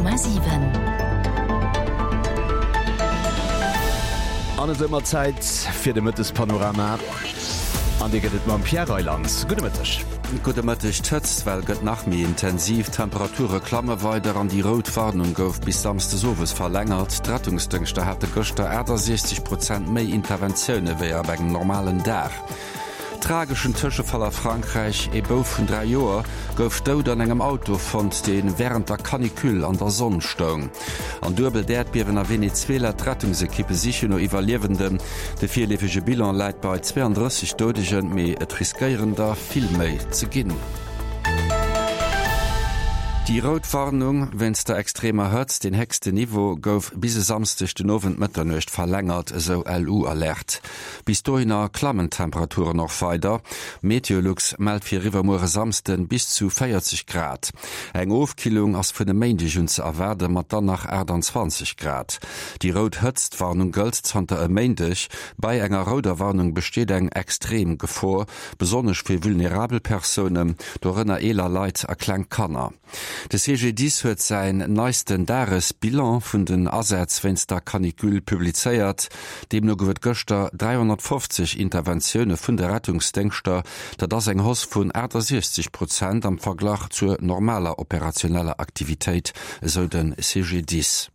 100,7. An et ëmmer Zäit fir de Mëttespanorama. An dee gëtt et mam Pierre Reyland. Gudde Mëtteg. Gudde Mëtteg. D'Hëtztwell gëtt nach méi intensiv, d'Temperature klamme weider an déi rout Warnung gouf bis Samsdes owes verlängert. D'Rettungsdëngschter hate gëschter 68 Prozent méi Interventioune wéi op engem normalen Dag. Trageschen Tëschefall a Frankräich, Ee Bouf vun 3 Joer gouf dout an engem Auto fonnt, dee wärend der Canicule an der Sonn stoung. An duebelt Äerdbiewen a Venezuela, D'Rettungsekippe sichen no Iwwerliewenden. De virleefege Bilan läit bei 32 Doudegen, mee et riskéieren der vill méi ze ginn. Déi rout Warnung wéinst der extremer Hëtzt, deen héchsten Niveau, gouf bis e Samsdeg den Owend Mëtternuecht verlängert, esou LU-Alert. Bis dohinner klammen d'Temperaturen och weider. Meteolux mellt fir iwwermuer e Samsden bis zu 40 Grad. Eng Ofkillung ass vun e Méindeg un ze erwaarde mat dann nach 28 Grad. Déi rout Hëtztwarnung gëllt zanter e Méindeg. Bei enger rouder Warnung besteet eng extrem Gefor, besonnesch fir vulnerabel Persounen, dorënner eeler Leit a kleng Kanner. De CGDIS huet säin neisten Dagesbilan vun den Asätz wéinst der Canicule publizéiert. Deemno gouf et gëschter 350 Interventioune vun de Rettungsdéngschter. Dat ass eng Hausse vun 68 Prozent am Verglach zur normaler operationeller Aktivitéit, esou de CGDIS.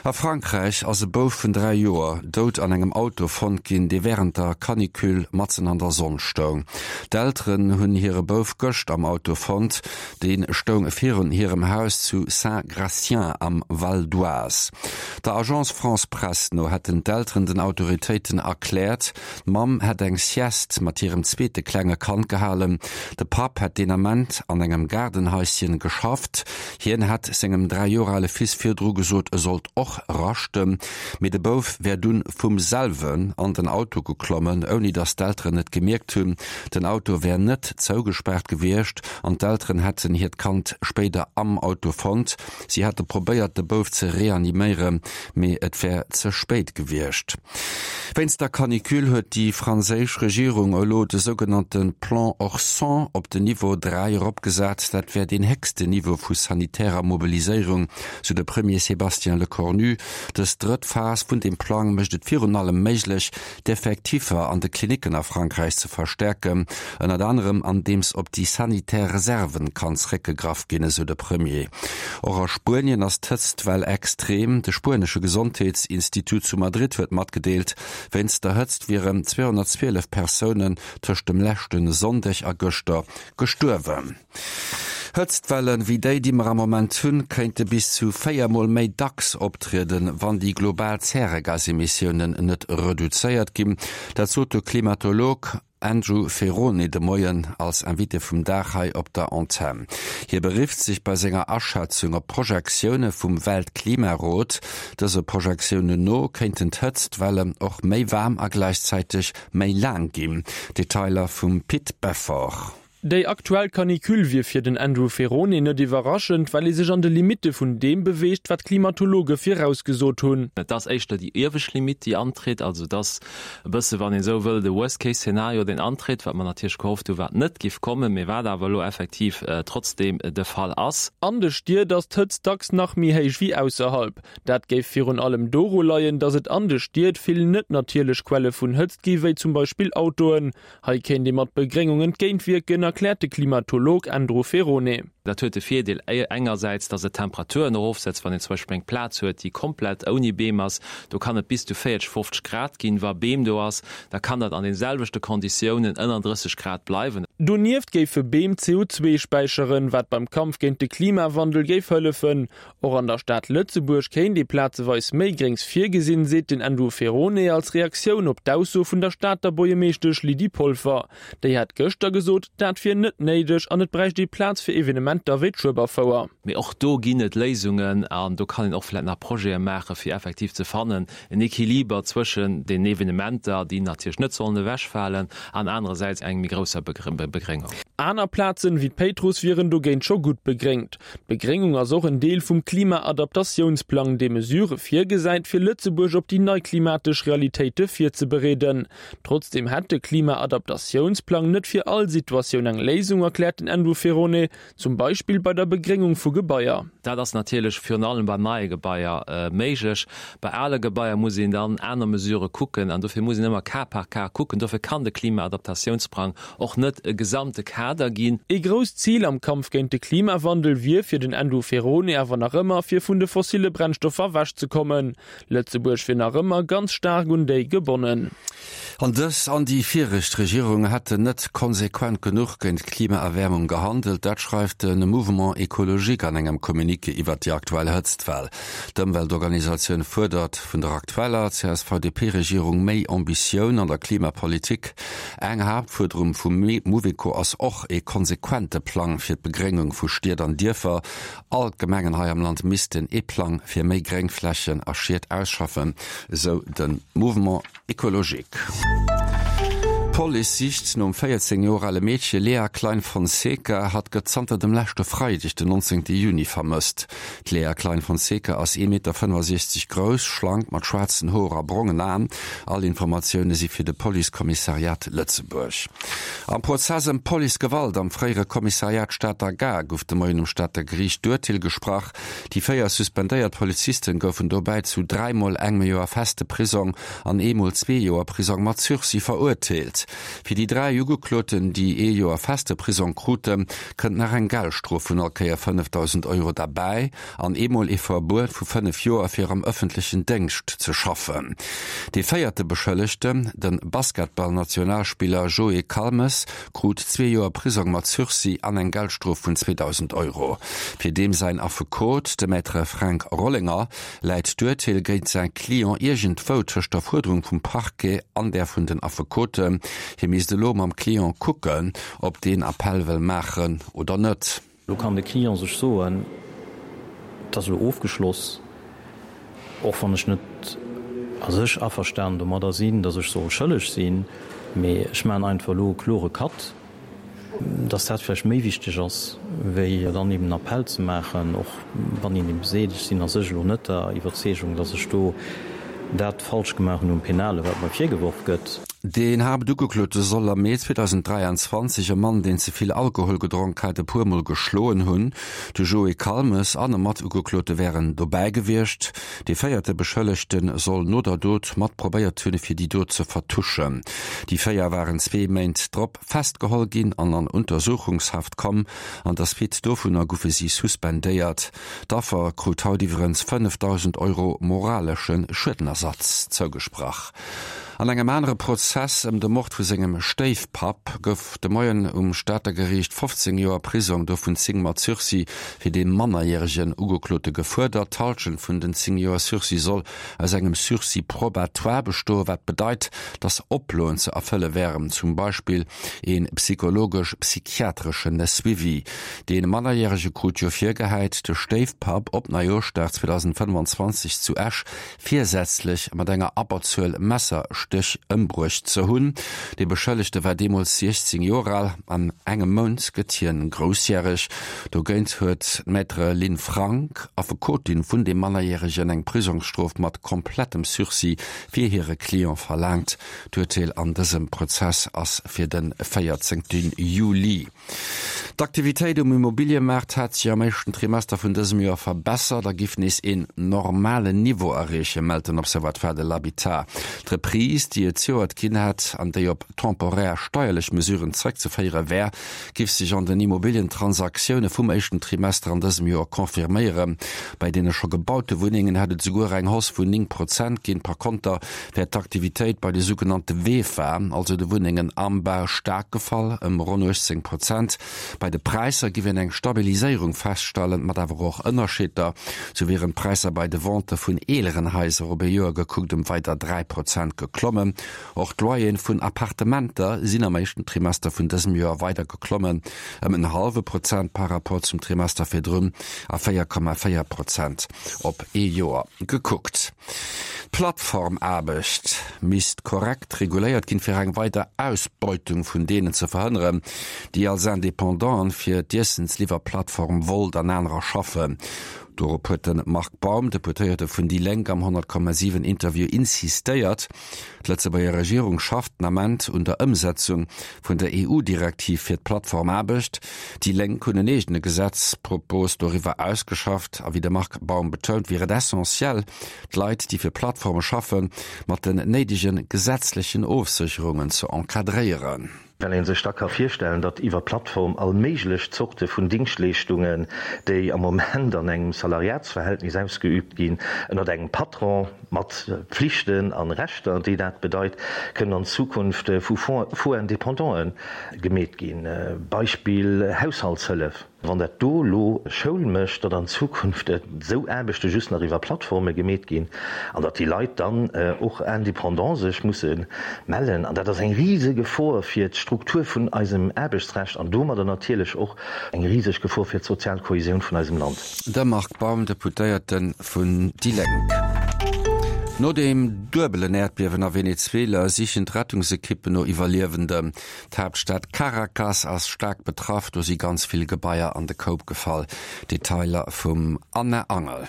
A Frankräich ass e Bouf vun 3 Joer dout an engem Auto fonnt ginn, dee wärend der Canicule matzen an der Sonn stoung. D'Elteren hunn hire Bouf gëscht am Auto fonnt. Dee stoung virun hirem Haus zu Saint-Gratien am Val d'Oise. Der Agence France-Presse no hätten d'Elteren den Autoritéiten erkläert, D'Mamm hätt eng Sieste mat hirem zweete klenge Kand gehalen. De Papp hätt deen Ament an engem Gaardenhaischen geschafft. Hien hätt sengem 3 Joer ale Fils virdru gesot, e sollt och raschten. Mee de Bouf wär dunn vum selwen an den Auto geklommen, ouni datt d'Elteren et gemierkt hunn. Den Auto wär net zougespaart gewiescht an d'Elteren hätten hiert Kand spéider am Auto fonnt. Si hätte probéiert, de Bouf ze reaniméieren, mee et wär ze spéit gewiescht. Wéinst der Canicule huet déi franséisch Regierung elo de sougenannte Plan Orsan op den Niveau 3 eropgesat. Dat wär deen héchsten Niveau vu sanitärer Mobiliséierung, sou de Premier Sébastien Lecornu. Dës drëtt Phas vun deem Plang mécht et virun allem méiglech, d'Effektiffer an de Klinicken a Frankräich ze verstäerken, ënnert anerem andeems op déi sanitär Reserven kann zréckgegraff ginn, esou de Premier. Och a Spuenien ass d'Hëtztwell extrem. De spuenesche Gesondheetsinstitut zu Madrid huet matgedeelt, wéinst der Hëtzt wieren 212 Persounen tëscht dem leschte Sonndeg a gëschter gestuerwen. Hëtztwellen wéi déi, déi mer am Moment hunn, kéinte bis zu 4 Mol méi dacks optrieden, wann déi global Zäregasemissiounen net reduzéiert ginn. Dat sot de Klimatolog Andrew Ferrone de Moien als Invité vum Dag hei op der Antenn. Hie berifft sech bei senger Aschätzung op Projektioune vum Weltklimarot. Dëse Projektiounen no kéinten d'Hëtztwellen och méi waarm a gläichzäiteg méi laang ginn. Detailer vum Pit Beffort. Déi aktuell Canicule wier fir den Andrew Ferrone net iwwerraschend, well ee sech an de Limitte vun deem beweegt, wat d'Klimatologe virausgesot hunn. Et ass éischter déi iewescht Limitt, déi antritt. Also et ass e bësse, wann een esou wëll, de Worst-Case-Szenario, deen antritt, wat mer natierlech gehofft hunn, wat net giff kommen, mee wat awer elo effektiv trotzdeem de Fall ass. An de Stied ass d'Hëtzt dacks nach méi héich wéi ausserhalb. Dat géif virun allem doru leien, datt et an de Stied vill net natierlech Quelle vun Hëtzt gi wéi zum Beispill Autoen. Hei kéint ee mat Begréngung entgéintwierken, erkläert de Klimatolog Andrew Ferrone. Dat huet de Virdeel engersäits, datt et d'Temperaturen erofsetzt, wann een zum Beispill eng Plaz huet, déi komplett ouni Beem ass, do kann et bis zu 40, 50 Grad ginn. Wa Beem do ass, da kann dat an den selwechte Konditiounen ënner 30 Grad bleiwen. Donieft géife Beem CO2 späicheren, wat beim Kampf géint de Klimawandel géif hëllefen. Och an der Stad Lëtzebuerg kéint ee plazeweis méi Gréngs virgesinn, seet den Andrew Ferrone als Reaktioun op d'Ausso vun der Stater Buergermeeschtesch Lydie Polfer. Déi hat gëschter gesot, dat wier net néideg an et bräicht ee Plaz fir Evenementer wéi d'Schueberfouer. Mee och do ginn et Léisungen an do kann een och vläicht nach Projete maachen, fir effektiv ze fannen, en Equiliber zwëschen den Evenementer, déi natierlech net sollen ewechfalen, an anerersäits eng méi grousser Begréngung. Aner Plazen, wéi d'Péitruss, wieren dogéint scho gutt begréngt. D'Begréngung ass och en Deel vum Klima-Adaptatiounsplang, dee Mesurë virgesäit, fir Lëtzebuerg op déi nei klimatesch Realitéite virzebereeden. Trotzdeem hätt de Klima-Adaptatiounsplang net fir all Situatioun eng Léisung, erkläert den Andrew Ferrone. Zum. Beispill bei der Begréngung vu Gebaier. Dat ass natierlech virun allem bei neie Gebaier méiglech. Bei ale Gebaier muss een dann aner Mesurë kucken an dofir muss een ëmmer Cas par cas kucken. Dofir kann de Klimaadaptatiounsplang och net e gesamte Kader ginn. Ee grousst Zil am Kampf géint de Klimawandel wier fir den Andrew Ferrone awer nach ëmmer, fir vun de fossille Brennstoffer ewechzekommen. Lëtzebuerg wier nach ëmmer ganz staark un déi gebonnen. An dës an déi viregt Regierung hätten net konsequent genuch géint d'Klimaerwäermung gehandelt. Dat schreift de Mouvement Ecologique an engem Communiqué iwwert déi aktuell Hëtztwell. D'Ëmweltorganisatioun fuerdert vun der aktueller CSV-DP-Regierung méi Ambitioun an der Klimapolitik. Eng Haaptfuerderung vum Mouveco ass och ee konsequente Plang fir d'Begréngung vu Stied an Dierfer. All d'Gemengen hei am Land missten ee Plang fir méi Gréngflächen a Schied ausschaffen, esou de Mouvement Ecologique. D'Police sicht nom 14 Joer ale Meedche Lea Klein Fonseca. Hatt gëtt zanter dem leschte Freideg, den 19 Juni vermësst. D'Lea Klein Fonseca ass 1,65 Meter grouss, schlank, mat schwaarzen Hoer a brongen Aen. All Informatioune si fir de Policekommissariat Lëtzebuerg. Am Prozess ëm Policegewalt am fréiere Kommissariat Stater Gare gouf de Moien um Stater Geriicht d'Urteel gesprach. Déi 4 suspendéiert Polizisten goufen dobäi zu dräimol engem Joer feste Prisong an eemol zwee Joer Prisong mat Sursis verurteelt. Fir déi 3 Ugekloten, déi ee Joer feste Prisong kruten, kënnt nach eng Geldstrof vun all Kéier 5.000 Euro derbäi an eemol ee Verbuet vu 5 Joer fir am ëffentlechen Déngscht ze schaffen. Dee véierte Beschëllegten, de Basketballnationalspiller Joé Calmes, krut zwee Joer Prisong mat Sursis an eng Geldstrof vun 2.000 Euro. Fir deem säin Affekot, de Maître Fränk Rollinger, läit d'Urteel géint säi Client iergendwou tëscht der Fuerderung vum Parquet an där vun den Affekoten. Hie misst elo mam Client kucken, ob deen Appell wëll maachen oder net. Elo kann de Client sech soen, Et ass elo ofgeschloss, och wann ech net a sech averstanen domadder sinn, datt ech soll schëlleg sinn, mee ech maachen einfach elo e klore Cut. Datt dat vläicht méi wichteg ass, wéi dann eben en Appell ze maachen, och wann een eben seet, ech sinn a sech elo net der Iwwerzeegung, datt ech do dat falsch gemaach hunn um Penale, wat mer virgeworf gëtt. Deen Haaptugeklote soll am Mee 2023 e Mann, deen ze vill Alkohol gedronk hat, e puer Mol geschloen hunn. De Joé Calmes an e Matugeklote wären dobäi gewiescht. Dee véierte Beschëllegte soll no der Dot mat probéiert hunn, fir déi Dot ze vertuschen. Déi 4 waren zwee Méint drop festgeholl ginn an an Untersuchungshaft komm. An der Suite dovunner goufe si suspendéiert. D'Affer krut haut iwwerens 5.000 Euro moralesche Schuedenersatz zougesprach. An engem anere Prozess ëm de Mord vu sengem Stéifpapp gouf de Moien um Stater Geriicht 15 Joer Prisong, dovun 10 mat Sursis, fir dee mannerjäregen Ugeklote gefuerdert. D'Hallschent vun den 10 Joer Sursis soll aus engem Sursis probatoire bestoen, wat bedeit, dass Oploen ze erfëlle wären, zum Beispill ee psychologesch-psychiatreschen Suivi. Dee Mannerjärege krut jo virgehäit, de Stéifpapp op Neijoerschdag 2025 zu Esch virsätzlech mat enger Abberzuel Messerstéch ëmbruecht ze hunn. De Beschëllegte war deemools 16 Joer al. An engem Mount gëtt hien groussjäreg. Dogéint huet d'Maître Lynn Frank, Affekotin vun dem Mannerjäregen, eng Prisongsstrof mat komplettem Sursis fir hire Client verlaangt. D'Urteel an dësem Prozess ass fir de 14 Juli. D'Aktivitéit um Immobiliëmaart hat sech am éischten Trimester vun dësem Joer verbessert a giff nees een normalen Niveau erreechen, mellt den Observatoire de l'habitat. D'Reprise, déi et zejoert ginn hätt an déi op temporär steierlech Mesuren zeréckzeféiere wär, giff sech an den Immobilientransaktioune vum éischten Trimester an dësem Joer confirméieren. Bei deene scho gebaute Wunnengen hätt et esouguer eng Hausse vun 9 Prozent ginn. Par konter wär d'Aktivitéit bei de sougenannte VEFA, also de Wunnengen am Bau, staark gefall, ëm ronn 18 Prozent. Bei de Präisser giff een eng Stabiliséierung feststellen, mat awer och Ënnerscheeder. Sou wieren d'Präisser bei de Vente vun eeleren Haiser op ee Joer gekuckt ëm weider 3 Prozent geklommen. Och d'Loyeren vun Appartementer sinn am éischten Trimester vun dësem Joer weider geklommen, ëm en hallwe Prozent par Rapport zum Trimester virdrun a 4,4 Prozent op ee Joer gekuckt. D'Plattformaarbecht misst korrekt reguléiert ginn, fir eng weider Ausbeutung vun deenen ze verhënneren, déi als Independanten fir d'Iessensliwwerplattform Wolt an anerer schaffen. Dorop huet de Marc Baum, Deputéierte vun déi Lénk, am 100,7 Interview insistéiert. D'Lëtzebuerger Regierung schafft den Ament un der Ëmsetzung vun der EU-Direktiv fir d'Plattformaarbecht. Déi Lénk hunn en eegene Gesetzpropos doriwwer ausgeschafft a wéi de Marc Baum betount, wier et essentiell, d'Leit, déi fir Plattforme schaffen, mat den néidege gesetzlechen Ofsécherungen ze encadréieren. Well ee sech da ka virstellen, datt iwwer Plattform all méiglech Zorte vun Dingschtleeschtungen, déi am Moment an engem Salariatsverhältnis ausgeübt ginn, ënnert engem Patron mat Pflichten an Rechter, déi dat bedeit, kënnen an Zukunft vu faux Indépendanten gemeet ginn. Beispill Haushaltshëllef. Wann dat do elo Schoul mécht, datt an Zukunft esou Aarbechte just nach iwwer Plattforme gemeet ginn an datt déi Leit dann och indépendant sech musse mellen, an dat ass eng rise Gefor fir d'Struktur vun eisem Aarbechtsrecht an domadder natierlech och eng riseg Gefor fir d'sozial Kohesioun vun eisem Land. De Marc Baum, Deputéierte vun déi Lénk. No dem duebelen Äerdbiewen a Venezuela sichen d'Rettungsekippen no Iwwerliewenden. D'Haaptstad Caracas ass staark betraff, do si ganz vill Gebaier an de Koup gefall. Detailer vum Anna Angel.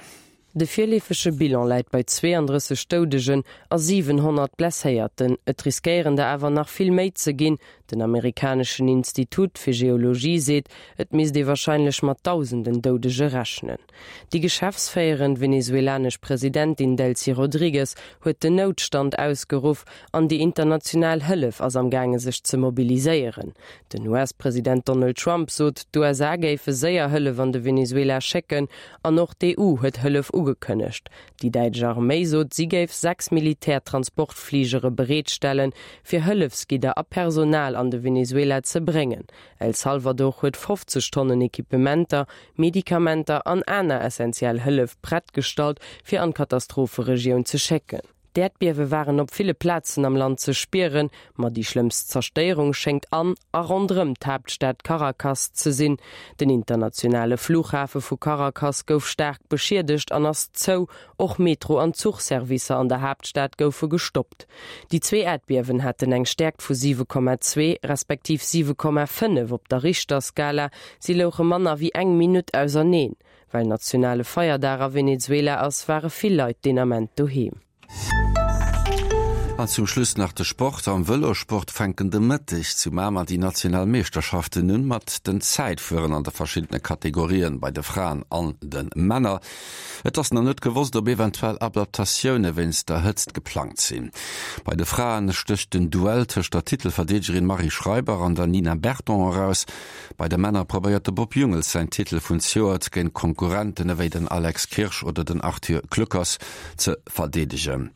De virleefege Bilan läit bei 32 Doudegen a 700 Blesséierten. Et riskéieren der awer nach vill méi ze ginn. Den amerikaneschen Institut fir Geologie seet, et misst ee warscheinlech mat dausenden Doudege rechnen. Déi geschäftsféierend venezuelanesch Presidentin Delcy Rodrigues huet den Noutstand ausgeruff an déi international Hëllef ass am gaange sech ze mobiliséieren. Den US-President Donald Trump sot, d'USA géife séier Hëllef an de Venezuela schécken an och d'EU huet Hëllef ugekënnegt. Déi däitsch Arméi sot, si géif 6 Militärtransportfligere bereetstellen, fir Hëllefsgidder a Personal an de Venezuela ze bréngen. El Salvador huet 50 Tonnen Equipementer, Medikamenter an aner essentiell Hëllef prett gestallt, fir an d'Katastropheregioun ze schécken. D'Äerdbiewe waren op ville Plazen am Land ze spieren, ma déi schlëmmst Zerstéierung schéngt an a ronderëm d'Haaptstad Caracas ze sinn. Den internationale Flughafe vu Caracas gouf staark beschiedegt an ass zou. Och Metro an Zuchservicer an der Haaptstad goufe gestoppt. Déi zwee Äerdbiewen haten eng Stäerkt vu 7,2 respektiv 7,5 op der Richterskala. Si louche manner wéi eng Minutt auserneen. Well nationale Feierdag a Venezuela ass, ware vill Leit deen Ament doheem. An zum Schluss nach de Sport. Am Vëlossport fänken de Mëtteg zu Mamer déi national Meeschterschaften un, mat den Zäitfueren an de verschiddene Kategorien bei de Fraen an de Männer. Et ass nach net gewosst, ob eventuell Adaptatioune wéinst der Hëtzt geplangt sinn. Bei de Fraen stécht den Duell tëscht der Titelverdeedegerin Marie Schreiber an der Nina Berton eraus. Bei de Männer probéiert de Bob Jungels säin Titel vun zejoert géint Konkurrenten ewéi den Alex Kirsch oder den Arthur Kluckers ze verdeedegen.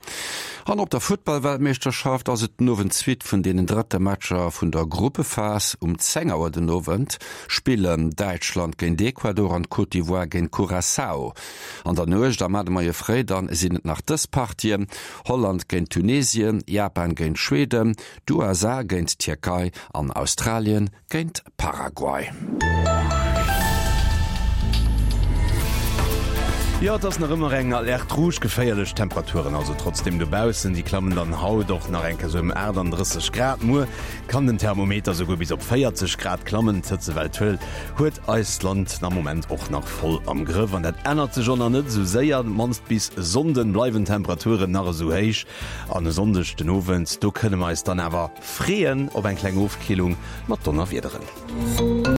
An op der Futtball-Weltmeeschterschaft ass et den Owend d'Suite vun deenen drëtte Matcher vun der Gruppephas. Um 10 Auer den Owend spillen Däitschland géint Ecuador an d'Côte d'Ivoire géint Curaçao. An der Nuecht am Moie fréi dann sinn et nach dës Partien, Holland géint Tunesien, Japan géint Schweden, d'USA géint d'Tierkei an Australien géint Paraguay. Jo, et ass nach ëmmer eng Alerte rouge, geféierlech Temperaturen also trotzdeem dobaussen. Déi klammen dann haut och nach eng Kéier sou ëm 38 Grad. Muer kann den Thermometer souguer bis op 40 Grad klammen. D'Hëtzewell huet eist Land am Moment och nach voll am Grëff an dat ännert sech och nach net esou séier. Mannst bis Sonnden bleiwen d'Temperaturen nach esou héich an e Sonndeg den Owend, do kënne mer eis dann awer Freeën op eng kleng Ofkillung mat Donnerwiederen.